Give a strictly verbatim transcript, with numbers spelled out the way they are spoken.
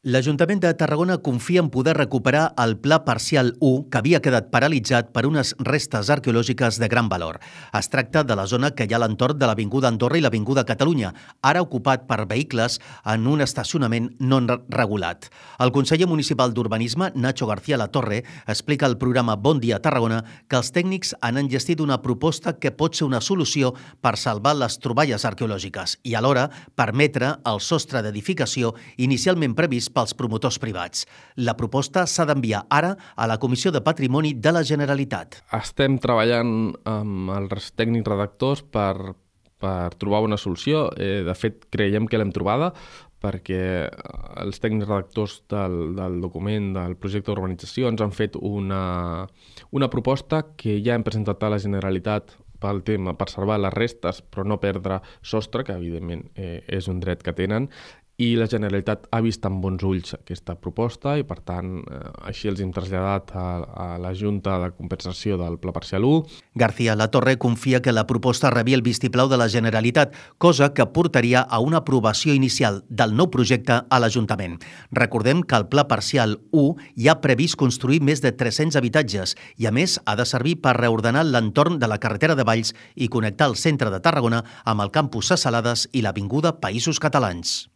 L'Ajuntament de Tarragona confia en poder recuperar el Pla Parcial u, que havia quedat paralitzat per unes restes arqueològiques de gran valor. Es tracta de la zona que hi ha a l'entorn de l'Avinguda Andorra i l'Avinguda Catalunya, ara ocupat per vehicles en un estacionament no regulat. El conseller municipal d'Urbanisme, Nacho García Latorre, explica al programa Bon Dia Tarragona que els tècnics han enllestit una proposta que pot ser una solució per salvar les troballes arqueològiques i alhora permetre el sostre d'edificació inicialment previst pels promotors privats. La proposta s'ha d'enviar ara a la Comissió de Patrimoni de la Generalitat. Estem treballant amb els tècnics redactors per, per trobar una solució. Eh, de fet, creiem que l'hem trobada perquè els tècnics redactors del, del document del projecte d'urbanització ens han fet una, una proposta que ja hem presentat a la Generalitat pel tema, per salvar les restes però no perdre sostre, que evidentment eh, és un dret que tenen, i la Generalitat ha vist amb bons ulls aquesta proposta i, per tant, eh, així els hem traslladat a, a la Junta de Compensació del Pla Parcial u. García Latorre confia que la proposta rebi el vistiplau de la Generalitat, cosa que portaria a una aprovació inicial del nou projecte a l'Ajuntament. Recordem que el Pla Parcial u ja ha previst construir més de tres-cents habitatges i, a més, ha de servir per reordenar l'entorn de la carretera de Valls i connectar el centre de Tarragona amb el campus Ses Salades i l'Avinguda Països Catalans.